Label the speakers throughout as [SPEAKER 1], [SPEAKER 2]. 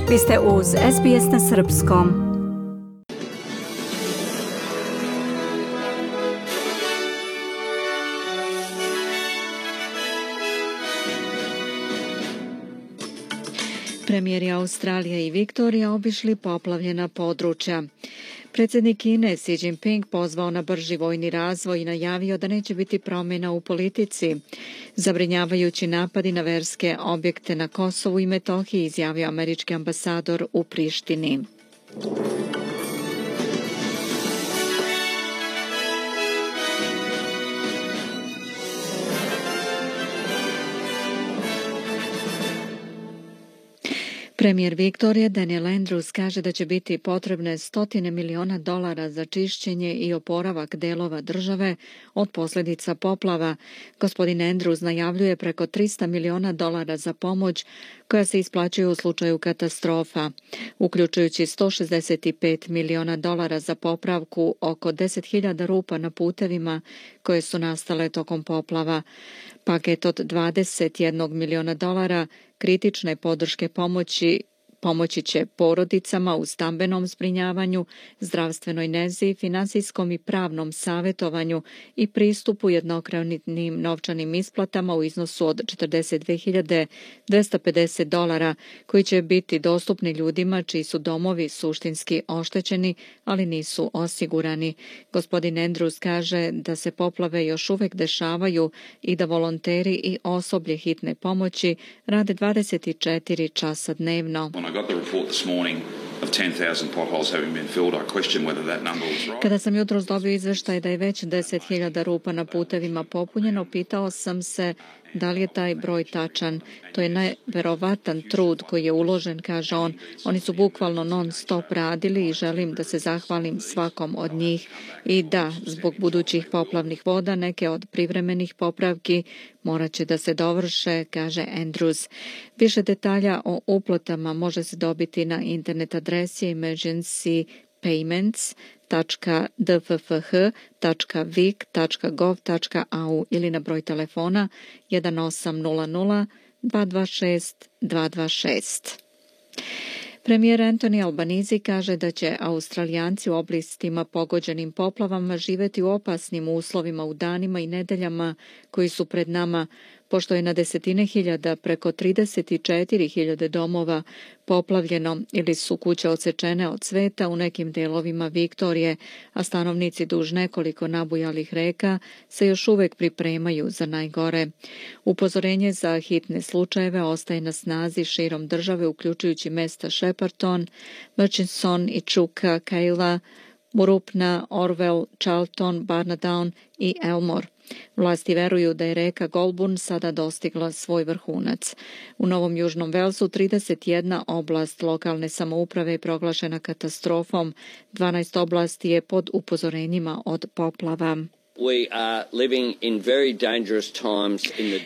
[SPEAKER 1] Vi ste uz SBS na srpskom. Premijeri Australije i Viktorija obišli poplavljena područja. Predsjednik Kine Xi Jinping pozvao na brži vojni razvoj i najavio da neće biti promjena u politici. Zabrinjavajući napadi na verske objekte na Kosovu i Metohiji, izjavio američki ambasador u Prištini. Premijer Viktorije Daniel Andrews kaže da će biti potrebne $100 miliona za čišćenje i oporavak delova države od posljedica poplava. Gospodin Andrews najavljuje preko $300 miliona za pomoć koja se isplaćuje u slučaju katastrofa, uključujući $165 miliona za popravku oko 10.000 rupa na putevima koje su nastale tokom poplava. Paket od $21 miliona kritične podrške pomoći će porodicama u stambenom zbrinjavanju, zdravstvenoj nezi, finansijskom i pravnom savjetovanju i pristupu jednokratnim novčanim isplatama u iznosu od $42.250 koji će biti dostupni ljudima čiji su domovi suštinski oštećeni, ali nisu osigurani. Gospodin Andrews kaže da se poplave još uvijek dešavaju i da volonteri i osoblje hitne pomoći rade 24 časa dnevno. Kada sam jutros dobio izveštaj da je već 10.000 rupa na putevima popunjeno, pitao sam se da li je taj broj tačan. To je neverovatan trud koji je uložen, kaže on. Oni su bukvalno non stop radili i želim da se zahvalim svakom od njih. I da, zbog budućih poplavnih voda, neke od privremenih popravki morat će da se dovrše, kaže Andrews. Više detalja o uplatama može se dobiti na internet adresi emergency-payments.dffh.vic.gov.au ili na broj telefona 1800 226 226. Premijer Anthony Albanese kaže da će Australijanci u oblastima pogođenim poplavama živjeti u opasnim uslovima u danima i nedeljama koji su pred nama, pošto je na desetine hiljada, preko 34.000 domova poplavljeno ili su kuće odsečene od sveta u nekim delovima Viktorije, a stanovnici duž nekoliko nabujalih reka se još uvijek pripremaju za najgore. Upozorenje za hitne slučajeve ostaje na snazi širom države, uključujući mesta Shepparton, Murchison, Echuca, Kayla, Murupna, Orwell, Charlton, Barnadown i Elmore. Vlasti veruju da je reka Goulburn sada dostigla svoj vrhunac. U Novom Južnom Velsu 31 oblast lokalne samouprave je proglašena katastrofom, 12 oblasti je pod upozorenjima od poplava.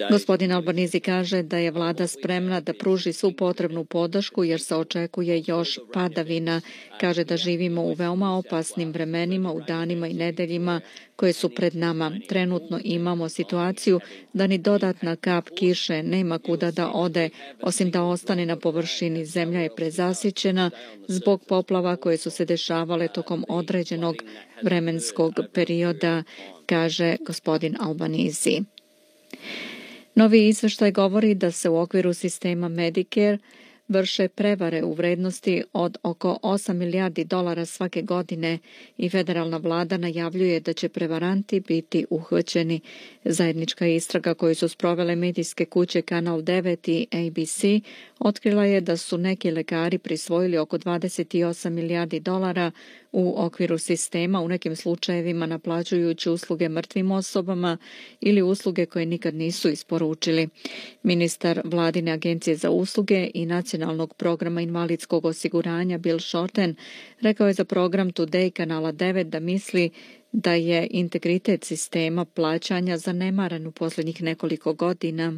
[SPEAKER 1] Gospodin Albanese kaže da je vlada spremna da pruži svu potrebnu podršku jer se očekuje još padavina. Kaže da živimo u veoma opasnim vremenima u danima i nedeljima koje su pred nama. Trenutno imamo situaciju da ni dodatna kap kiše nema kuda da ode, osim da ostane na površini. Zemlja je prezasićena zbog poplava koje su se dešavale tokom određenog vremenskog perioda, kaže gospodin Albanese. Novi izveštaj govori da se u okviru sistema Medicare vrše prevare u vrednosti od oko $8 milijardi svake godine i federalna vlada najavljuje da će prevaranti biti uhvaćeni. Zajednička istraga koju su sprovele medijske kuće Kanal 9 i ABC otkrila je da su neki lekari prisvojili oko $28 milijardi u okviru sistema, u nekim slučajevima naplaćujući usluge mrtvim osobama ili usluge koje nikad nisu isporučili. Ministar vladine agencije za usluge i nacionalnog programa invalidskog osiguranja Bill Shorten rekao je za program Today Kanala 9 da misli da je integritet sistema plaćanja zanemaran u posljednjih nekoliko godina.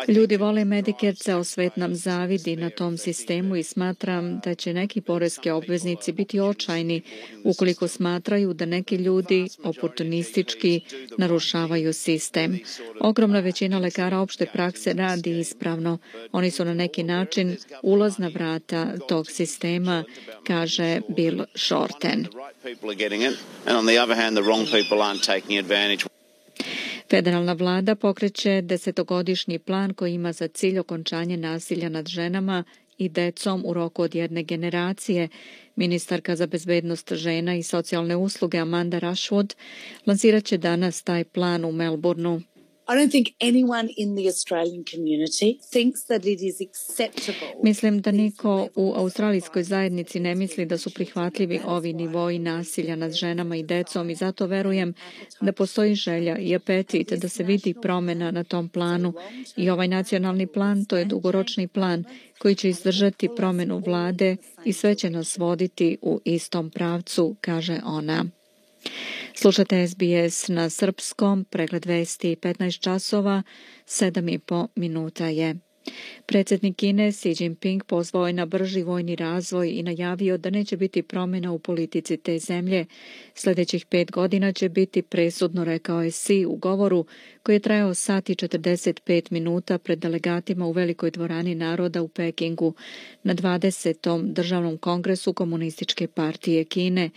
[SPEAKER 1] Ljudi vole Medicare, ceo svet nam zavidi na tom sistemu i smatram da će neki poreski obveznici biti očajni ukoliko smatraju da neki ljudi oportunistički narušavaju sistem. Ogromna većina lekara opšte prakse radi ispravno. Oni su na neki način ulazna vrata tog sistema, kaže Bill Shorten. Federalna vlada pokreće 10-godišnji plan koji ima za cilj okončanje nasilja nad ženama i decom u roku od jedne generacije. Ministarka za bezbednost žena i socijalne usluge Amanda Rushwood lansirat će danas taj plan u Melbourneu.
[SPEAKER 2] I don't think anyone in the Australian community thinks that it is acceptable.
[SPEAKER 1] Mislim da niko u australijskoj zajednici ne misli da su prihvatljivi ovi nivoi nasilja nad ženama i decom i zato verujem da postoji želja i apetit da se vidi promena na tom planu i ovaj nacionalni plan to je dugoročni plan koji će izdržati promenu vlade i sve će nas voditi u istom pravcu, kaže ona. Slušate SBS na srpskom, pregled vesti 15 časova, 7,5 minuta je. Predsjednik Kine Xi Jinping pozvao je na brži vojni razvoj i najavio da neće biti promjena u politici te zemlje. Sljedećih 5 godina će biti presudno, rekao je Xi u govoru koji je trajao sat i 45 minuta pred delegatima u Velikoj dvorani naroda u Pekingu na 20. državnom kongresu Komunističke partije Kine.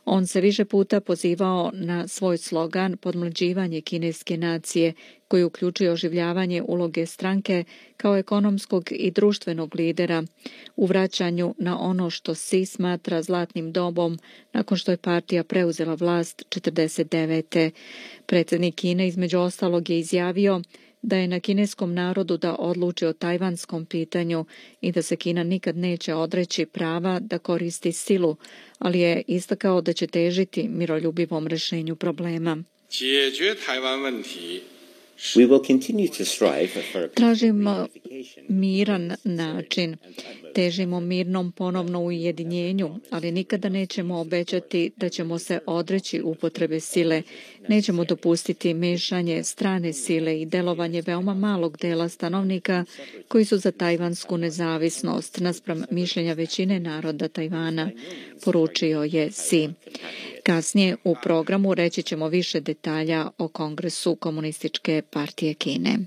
[SPEAKER 1] On se više puta pozivao na svoj slogan podmlađivanje kineske nacije, koji uključuje oživljavanje uloge stranke kao ekonomskog i društvenog lidera u vraćanju na ono što Xi smatra zlatnim dobom nakon što je partija preuzela vlast 1949. Predsjednik Kine između ostalog je izjavio da je na kineskom narodu da odluči o tajvanskom pitanju i da se Kina nikad neće odreći prava da koristi silu, ali je istakao da će težiti miroljubivom rješenju problema. Tražimo miran način, težimo mirnom ponovno ujedinjenju, ali nikada nećemo obećati da ćemo se odreći upotrebe sile. Nećemo dopustiti mešanje strane sile i delovanje veoma malog dela stanovnika koji su za tajvansku nezavisnost naspram mišljenja većine naroda Tajvana, poručio je Xi. Kasnije u programu reći ćemo više detalja o Kongresu Komunističke partije Kine.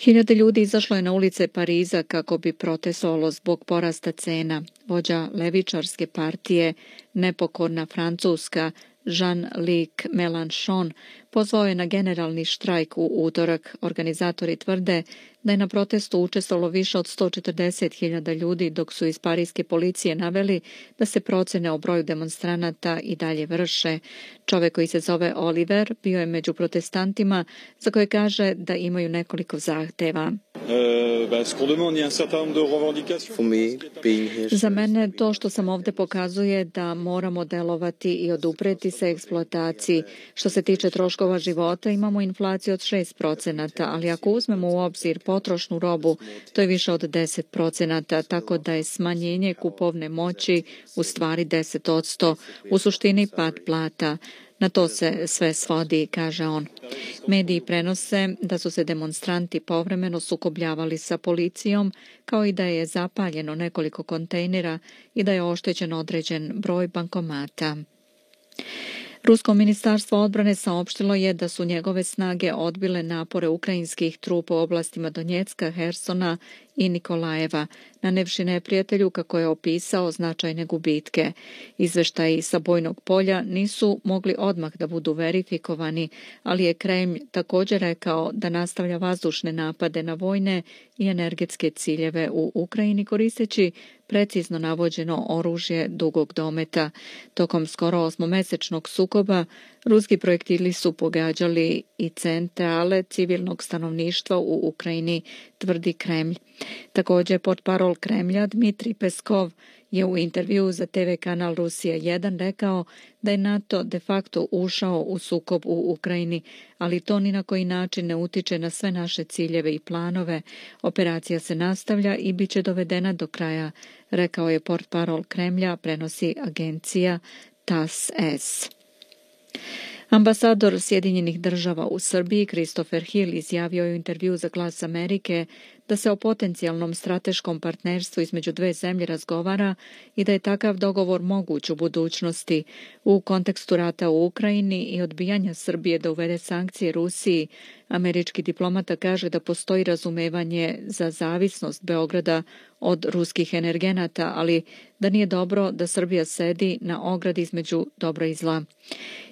[SPEAKER 1] Hiljade ljudi izašlo je na ulice Pariza kako bi protestovalo zbog porasta cena. Vođa levičarske partije Nepokorna Francuska Jean-Luc Mélenchon pozvao je na generalni štrajk u utorak. Organizatori tvrde da je na protestu učestvovalo više od 140.000 ljudi, dok su iz parijske policije naveli da se procene o broju demonstranata i dalje vrše. Čovjek koji se zove Oliver bio je među protestantima za koje kaže da imaju nekoliko zahteva. Za mene to što sam ovdje pokazuje da moramo delovati i odupreti se eksploataciji. Što se tiče troškova života, imamo inflaciju od 6%, ali ako uzmemo u obzir potrošnu robu, to je više od 10%, tako da je smanjenje kupovne moći u stvari 10%, u suštini pad plata. Na to se sve svodi, kaže on. Mediji prenose da su se demonstranti povremeno sukobljavali sa policijom, kao i da je zapaljeno nekoliko kontejnera i da je oštećen određen broj bankomata. Rusko ministarstvo odbrane saopštilo je da su njegove snage odbile napore ukrajinskih trupa u oblastima Donjecka, Hersona i Nikolajeva, nanevši neprijatelju, kako je opisao, značajne gubitke. Izveštaji sa bojnog polja nisu mogli odmah da budu verifikovani, ali je Kremlj također rekao da nastavlja vazdušne napade na vojne i energetske ciljeve u Ukrajini koristeći precizno navođeno oružje dugog dometa. Tokom skoro 8-mesečnog sukoba ruski projektili su pogađali i centrale civilnog stanovništva u Ukrajini, tvrdi Kremlj. Također, portparol Kremlja Dmitrij Peskov je u intervjuu za TV kanal Rusija 1 rekao da je NATO de facto ušao u sukob u Ukrajini, ali to ni na koji način ne utiče na sve naše ciljeve i planove. Operacija se nastavlja i bit će dovedena do kraja, rekao je portparol Kremlja, prenosi agencija TASS. Ambasador Sjedinjenih država u Srbiji Christopher Hill izjavio je u intervju za Glas Amerike da se o potencijalnom strateškom partnerstvu između dve zemlje razgovara i da je takav dogovor moguć u budućnosti. U kontekstu rata u Ukrajini i odbijanja Srbije da uvede sankcije Rusiji, američki diplomata kaže da postoji razumevanje za zavisnost Beograda od ruskih energenata, ali da nije dobro da Srbija sedi na ogradi između dobra i zla.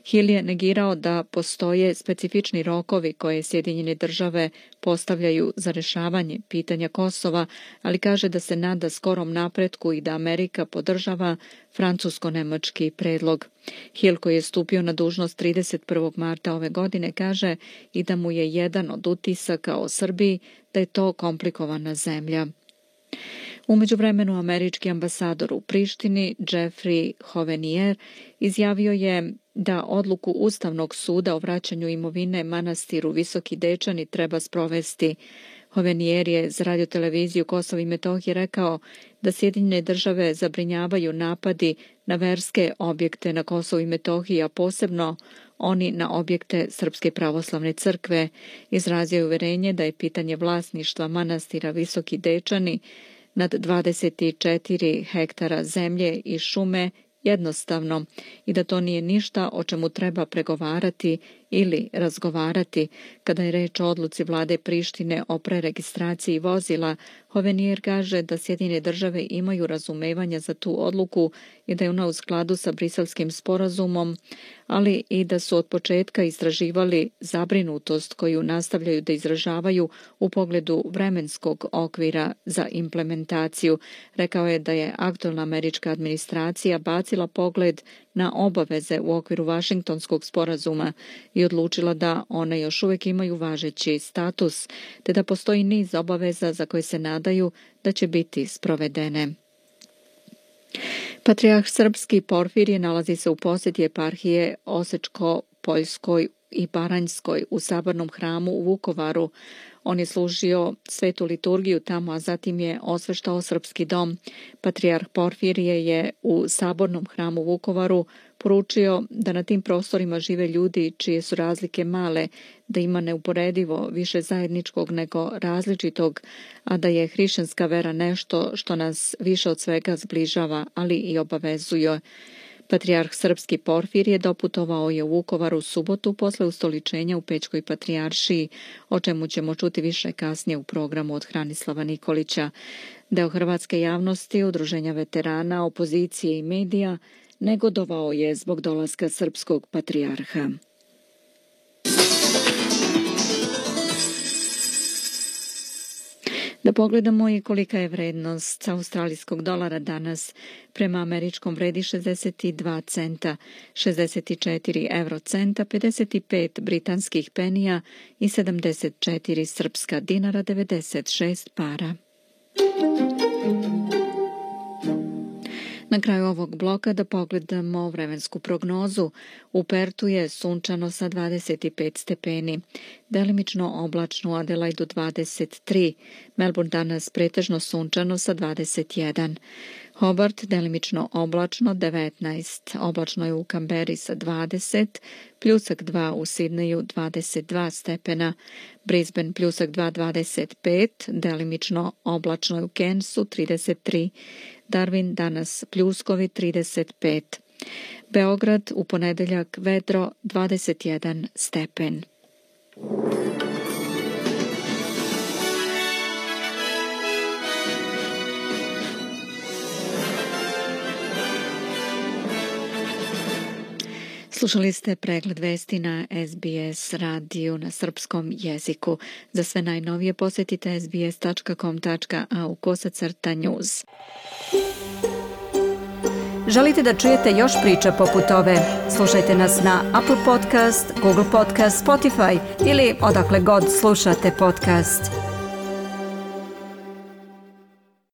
[SPEAKER 1] Hill je negirao da postoje specifični rokovi koje Sjedinjene države postavljaju za rešavanje pitanja Kosova, ali kaže da se nada skorom napretku i da Amerika podržava francusko-nemački predlog. Hill, koji je stupio na dužnost 31. marta ove godine, kaže i da mu je jedan od utisaka o Srbiji da je to komplikovana zemlja. U međuvremenu američki ambasador u Prištini Jeffrey Hovenier izjavio je da odluku Ustavnog suda o vraćanju imovine manastiru Visoki Dečani treba sprovesti. Hovenier je za radioteleviziju Kosova i Metohije rekao da Sjedinjene države zabrinjavaju napadi na verske objekte na Kosovu i Metohiji, a posebno oni na objekte Srpske pravoslavne crkve. Izrazio je uverenje da je pitanje vlasništva manastira Visoki Dečani nad 24 hektara zemlje i šume jednostavno i da to nije ništa o čemu treba pregovarati ili razgovarati. Kada je reč o odluci vlade Prištine o preregistraciji vozila, Hovenier kaže da Sjedinjene države imaju razumevanja za tu odluku i da je ona u skladu sa Briselskim sporazumom, ali i da su od početka istraživali zabrinutost koju nastavljaju da izražavaju u pogledu vremenskog okvira za implementaciju. Rekao je da je aktualna američka administracija bacila pogled na obaveze u okviru Vašingtonskog sporazuma i odlučila da one još uvijek imaju važeći status, te da postoji niz obaveza za koje se nadaju da će biti sprovedene. Patrijarh srpski Porfirije nalazi se u posjeti eparhije Osečko-Poljskoj i Baranjskoj u Sabornom hramu u Vukovaru. On je služio svetu liturgiju tamo, a zatim je osveštao srpski dom. Patrijarh Porfirije je u Sabornom hramu u Vukovaru poručio da na tim prostorima žive ljudi čije su razlike male, da ima neuporedivo više zajedničkog nego različitog, a da je hrišćanska vera nešto što nas više od svega zbližava, ali i obavezuje. Patrijarh srpski Porfirije doputovao je u Vukovar u subotu posle ustoličenja u Pećkoj patrijaršiji, o čemu ćemo čuti više kasnije u programu od Hranislava Nikolića. Deo hrvatske javnosti, udruženja veterana, opozicije i medija negodovao je zbog dolaska srpskog patrijarha. Da pogledamo i kolika je vrednost australijskog dolara danas. Prema američkom vredi 62 centa, 64 eurocenta, 55 britanskih penija i 74 srpska dinara, 96 para. Na kraju ovog bloka da pogledamo vremensku prognozu. U Pertu je sunčano sa 25 stepeni, delimično oblačno u Adelaidu 23, Melbourne danas pretežno sunčano sa 21, Hobart delimično oblačno 19, oblačno je u Kamberi sa 20, pljusak 2 u Sidneju 22 stepena, Brisbane pljusak 2 25, delimično oblačno je u Cairnsu 33, Darwin danas pljuskovi 35. Beograd u ponedeljak vedro 21 stepen. Slušali ste pregled vesti na SBS radiju na srpskom jeziku. Za sve najnovije posjetite sbs.com.au/news.
[SPEAKER 3] Želite da čujete još priča poput ove? Slušajte nas na Apple Podcast, Google Podcast, Spotify ili odakle god slušate podcast.